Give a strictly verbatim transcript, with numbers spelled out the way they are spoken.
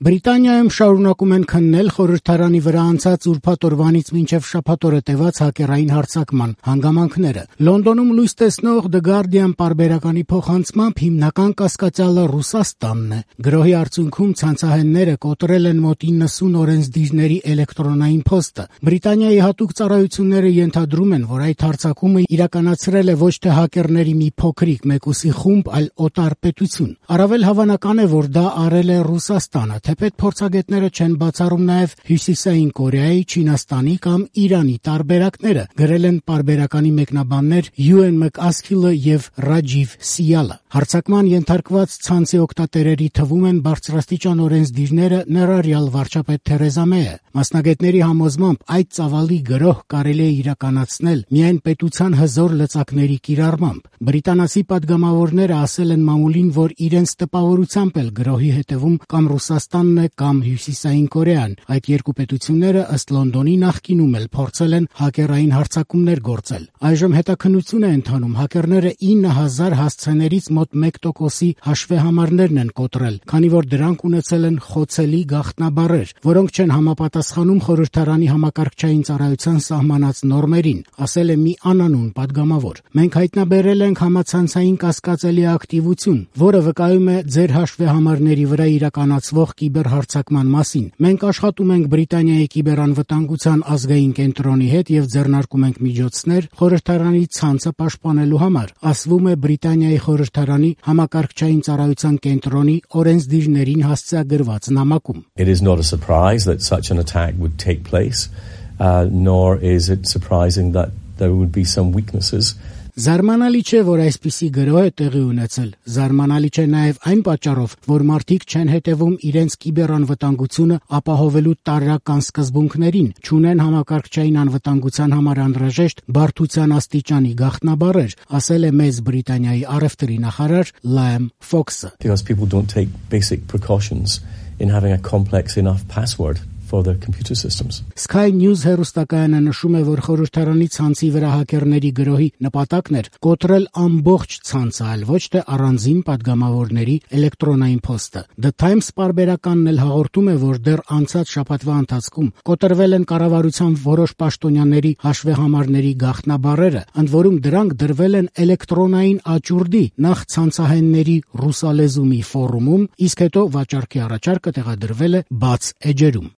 Բրիտանիայում շարունակում են քննել խորհրդարանի վրա անցած ուրբաթ օրվանից մինչև շաբաթ օրը տևած հակերային հարձակման հանգամանքները։ Լոնդոնում լույս տեսնող The Guardian պարբերականի փոխանցմամբ հիմնական կասկածյալը Ռուսաստանն է։ Գրոհի արդյունքում ցանցահենները կոտրել են մոտ իննսուն օրենսդիրների էլեկտրոնային փոստը։ Բրիտանիայի հատուկ ծառայությունները ենթադրում են, որ այդ հարձակումը իրականացրել է ոչ թե հակերների մի փոքրիկ մեկուսի խումբ, այլ օտար պետություն։ Առավել հավանական է, որ դա արել է Ռուսաստանը, թեպետ փորձագետները չեն բացառում նաև Հյուսիսային Կորեայի, Չինաստանի կամ Իրանի տարբերակները, գրել են պարբերականի մեկնաբաններ Յուեն Մակասքիլը եւ Ռաջիվ Սիալը։ Հարձակման ենթարկված ցանցի օգտատերերի թվում են բարձրաստիճան օրենսդիրները, ներառյալ վարչապետ Թերեզա Մեյը։ Մասնագետների համոզմամբ այդ ծավալի գրոհ կարելի է իրականացնել միայն պետության հզոր լծակների կիրառմամբ։ Բրիտանացի պատգամավորները ասել են մամուլին, որ իրենց տպավորությամբ էլ գրոհի հետևում կամ Ռուսաստանն է կամ Հյուսիսային Կորեան։ Այդ երկու պետությունները ըստ Լոնդոնի նախկինում էլ փորձել են հակերային հարձակումներ գործել։ Այժմ հետաքննություն է ընթանում, հակերները ինը հազար հասցեներից մոտ մեկ տոկոսի հաշվեհամարներն են կոտրել, քանի որ դրանք ունեցել են խոցելի գաղտնաբառեր, որոնք չեն համապատասխանում խորհրդարանի համակարգչային ծառայության սահմանած նորմերին, ասել է մի անանուն պատգամավոր։ Մենք հայտնաբերել ենք համացանցային կասկածելի ակտիվություն, որը վկայում է ձեր հաշվեհամարների վրա իրականացվող կիբերհարձակման մասին։ Մենք աշխատում ենք Բրիտանիայի կիբերանվտանգության ազգային կենտրոնի հետ եւ ձեռնարկում ենք միջոցներ խորհրդարանի ցանցը պաշտպանելու համար, ասվում է Բրիտանիայի խորհրդարանի համակարգչային ծառայության կենտրոնի օրենսդիրներին հասցեագրված նամակում։ It is not a surprise that such an attack would take place, uh, nor is it surprising that there would be some weaknesses. Զարմանալի չէ, որ այսպիսի գրոհ է տեղի ունեցել։ Զարմանալի չէ նաև այն պատճառով, որ մարդիկ չեն հետևում իրենց կիբերանվտանգությունը ապահովելու տարրական սկզբունքներին, չունեն համակարգչային անվտանգության համար անհրաժեշտ բարդության աստիճանի գաղտնաբառեր, ասել է Մեծ Բրիտանիայի առևտրի նախարար Liam Fox-ը։ Because people don't take basic precautions in having a complex enough password for their computer systems. Sky News հեռուստակայանը նշում է, որ խորհրդարանի ցանցի վրա հակերների գրոհի նպատակն էր կոտրել ամբողջ ցանցը, այլ ոչ թե առանձին պատգամավորների էլեկտրոնային փոստը։ The Times պարբերականն էլ հաղորդում է, որ դեռ անցած շաբաթվա ընթացքում կոտրվել են կառավարության որոշ պաշտոնյաների հաշվեհամարների գաղտնաբառերը, ընդ որում դրանք դրվել են էլեկտրոնային աճուրդի, նախ ցանցահենների ռուսալեզու մի ֆորումում, իսկ հետո վաճառքի առաջարկը տեղադրվել է բաց էջերում։